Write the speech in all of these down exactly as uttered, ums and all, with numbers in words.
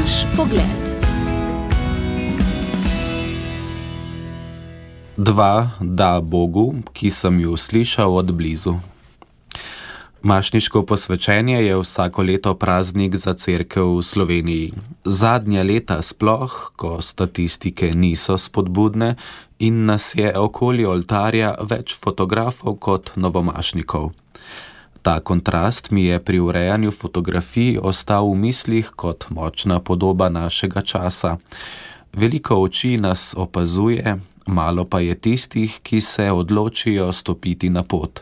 Naš pogled. Dva da Bogu, ki sem ju slišal od blizu. Mašniško posvečenje je vsako leto praznik za cerkev v Sloveniji. Zadnja leta sploh, ko statistike niso spodbudne in nas je okoli oltarja več fotografov kot novomašnikov. Ta kontrast mi je pri urejanju fotografij ostal v mislih kot močna podoba našega časa. Veliko oči nas opazuje, malo pa je tistih, ki se odločijo stopiti na pot.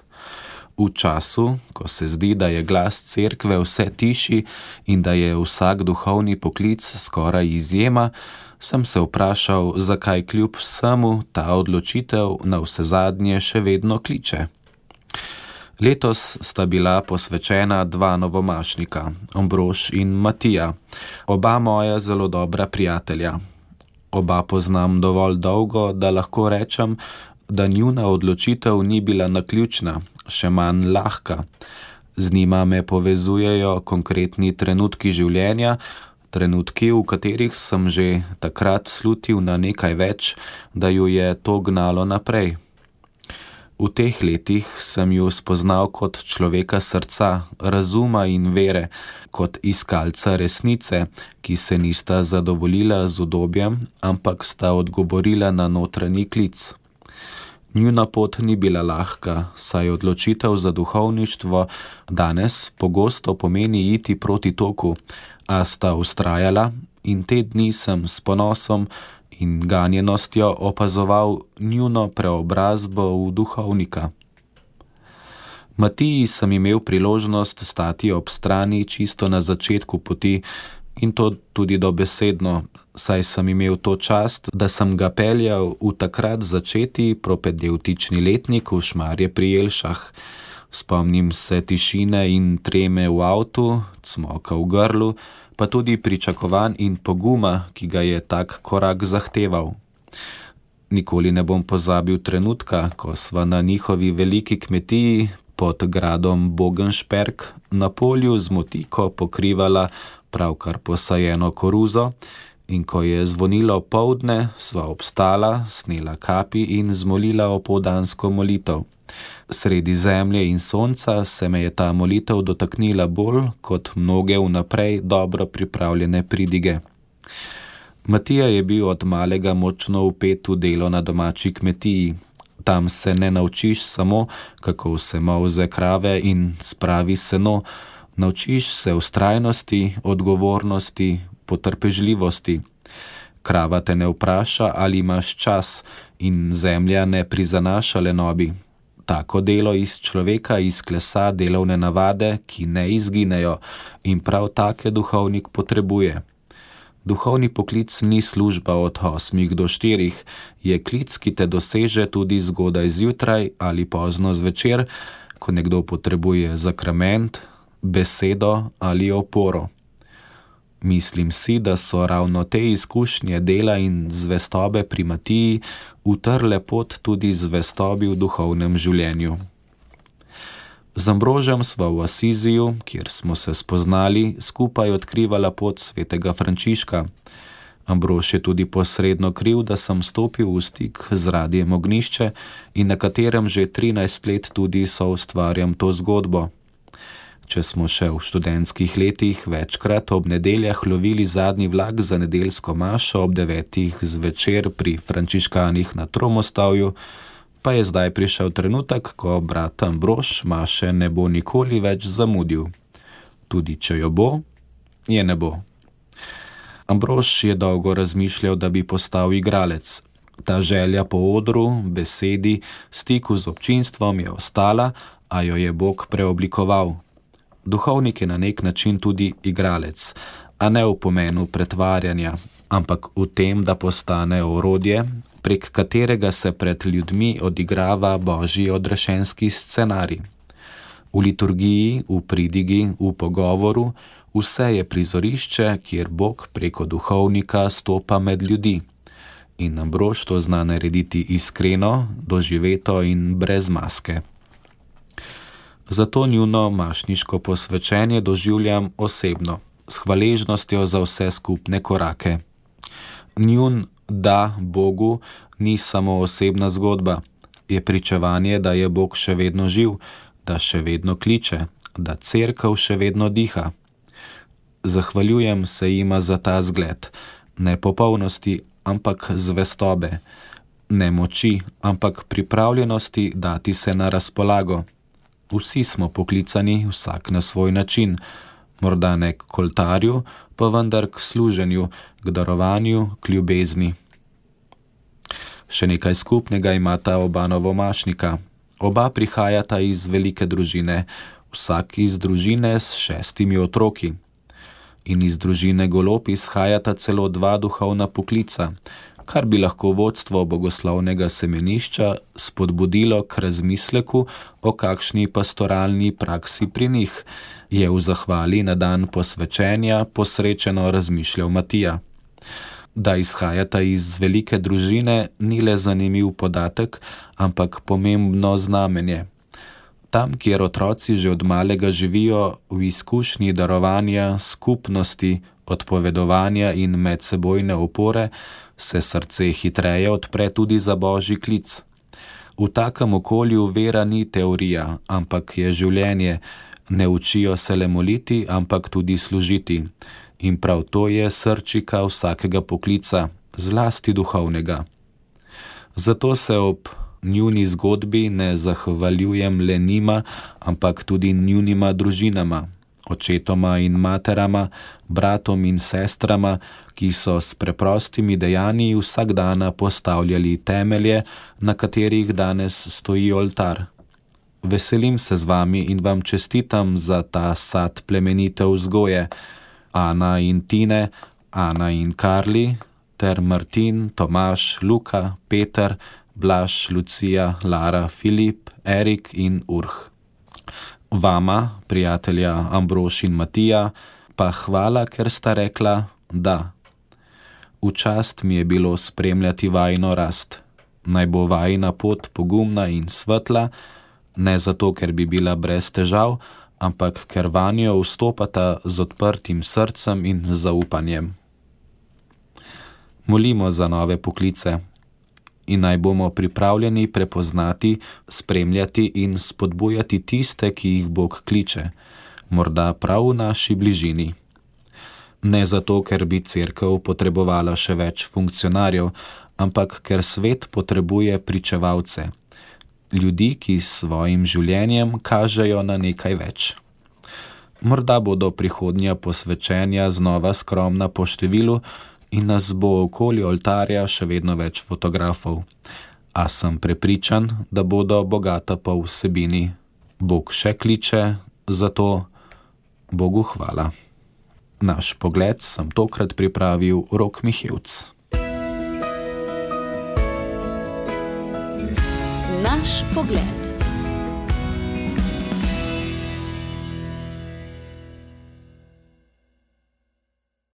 V času, ko se zdi, da je glas cerkve vse tišji in da je vsak duhovni poklic skoraj izjema, sem se vprašal, zakaj kljub vsemu ta odločitev navsezadnje še vedno kliče. Letos sta bila posvečena dva novomašnika, Ambrož in Matija, oba moja zelo dobra prijatelja. Oba poznam dovolj dolgo, da lahko rečem, da njuna odločitev ni bila naključna, še manj lahka. Z njima me povezujejo konkretni trenutki življenja, trenutki, v katerih sem že takrat slutil na nekaj več, da ju je to gnalo naprej. V teh letih sem ju spoznal kot človeka srca, razuma in vere, kot iskalca resnice, ki se nista zadovoljila z udobjem, ampak sta odgovorila na notranji klic. Njuna pot ni bila lahka, saj odločitev za duhovništvo danes pogosto pomeni iti proti toku, a sta vztrajala in te dni sem s ponosom in ganjenostjo opazoval njuno preobrazbo v duhovnika. Matiji sem imel priložnost stati ob strani čisto na začetku poti in to tudi dobesedno, saj sem imel to čast, da sem ga peljal v takrat začeti propedevtični letnik v Šmarje pri Jelšah. Spomnim se tišine in treme v avtu, cmoka v grlu, pa tudi pričakovanj in poguma, ki ga je tak korak zahteval. Nikoli ne bom pozabil trenutka, ko sva na njihovi veliki kmetiji pod gradom Bogenšperk na polju z motiko pokrivala pravkar posajeno koruzo in ko je zvonilo poldne, sva obstala, snela kapi in zmolila opoldansko molitev. Sredi zemlje in sonca se me je ta molitev dotaknila bolj kot mnoge vnaprej dobro pripravljene pridige. Matija je bil od malega močno vpet v delo na domači kmetiji. Tam se ne naučiš samo, kako se molze krave in spravi seno, naučiš se vztrajnosti, odgovornosti, potrpežljivosti. Krava te ne vpraša, ali imaš čas in zemlja ne prizanaša lenobi. Tako delo iz človeka izklesa delovne navade, ki ne izginejo in prav take duhovnik potrebuje. Duhovni poklic ni služba od osmih do štirih, je klic, ki te doseže tudi zgodaj zjutraj ali pozno zvečer, ko nekdo potrebuje zakrament, besedo ali oporo. Mislim si, da so ravno te izkušnje dela in zvestobe pri Matiji utrle pot tudi zvestobi v duhovnem življenju. Z Ambrožem sva v Asiziju, kjer smo se spoznali, skupaj odkrivala pot svetega Frančiška. Ambrož je tudi posredno kriv, da sem stopil v stik z Radiem Ognjišče in na katerem že trinajst let tudi soustvarjam to zgodbo. Če smo še v študentskih letih večkrat ob nedeljah lovili zadnji vlak za nedeljsko mašo ob devetih zvečer pri frančiškanih na Tromostavju, pa je zdaj prišel trenutek, ko brat Ambrož maše ne bo nikoli več zamudil. Tudi če jo bo, je ne bo. Ambrož je dolgo razmišljal, da bi postal igralec. Ta želja po odru, besedi, stiku z občinstvom je ostala, a jo je Bog preoblikoval. Duhovnik je na nek način tudi igralec, a ne v pomenu pretvarjanja, ampak v tem, da postane orodje, prek katerega se pred ljudmi odigrava božji odrešenski scenarij. V liturgiji, v pridigi, v pogovoru, vse je prizorišče, kjer Bog preko duhovnika stopa med ljudi. In Ambrož to zna narediti iskreno, doživeto in brez maske. Zato njuno mašniško posvečenje doživljam osebno. s hvaležnostjo za vse skupne korake. Njun da Bogu ni samo osebna zgodba, je pričevanje, da je Bog še vedno živ, da še vedno kliče, da cerkev še vedno diha. Zahvaljujem se jima za ta zgled, ne popolnosti, ampak zvestobe, ne moči, ampak pripravljenosti dati se na razpolago. Vsi smo poklicani, vsak na svoj način, morda ne k oltarju, pa vendar k služenju, k darovanju, k ljubezni. Še nekaj skupnega imata oba novomašnika. Oba prihajata iz velike družine, vsak iz družine s šestimi otroki. In iz družine Golob izhajata celo dva duhovna poklica, kar bi lahko vodstvo bogoslovnega semenišča spodbudilo k razmisleku o kakšni pastoralni praksi pri njih, je v zahvali na dan posvečenja posrečeno razmišljal Matija. Da izhajata iz velike družine ni le zanimiv podatek, ampak pomembno znamenje. Tam, kjer otroci že od malega živijo v izkušnji darovanja, skupnosti, odpovedovanja in medsebojne opore, se srce hitreje odpre tudi za božji klic. V takem okolju vera ni teorija, ampak je življenje, ne učijo se le moliti, ampak tudi služiti. In prav to je srčika vsakega poklica, zlasti duhovnega. Zato se ob njuni zgodbi ne zahvaljujem le njima, ampak tudi njunima družinama, očetoma in materama, bratom in sestrama, ki so s preprostimi dejanji vsak dana postavljali temelje, na katerih danes stoji oltar. Veselim se z vami in vam čestitam za ta sad plemenite vzgoje, Ana in Tine, Ana in Karli, ter Martin, Tomaž, Luka, Peter, Blaž, Lucija, Lara, Filip, Erik in Urh. Vama, prijatelja Ambrož in Matija, pa hvala, ker sta rekla da. V čast mi je bilo spremljati vajino rast. Naj bo vajina pot pogumna in svetla, ne zato, ker bi bila brez težav, ampak ker vanjo vstopata z odprtim srcem in zaupanjem. Molimo za nove poklice in naj bomo pripravljeni prepoznati, spremljati in spodbujati tiste, ki jih Bog kliče, morda prav v naši bližini. Ne zato, ker bi cerkev potrebovala še več funkcionarjev, ampak ker svet potrebuje pričevalce, ljudi, ki s svojim življenjem kažejo na nekaj več. Morda bodo prihodnja posvečenja znova skromna po številu in nas bo okoli oltarja še vedno več fotografov. A sem prepričan, da bodo bogata po vsebini. Bog še kliče, zato Bogu hvala. Naš pogled sem tokrat pripravil Rok Mihevc. Naš pogled.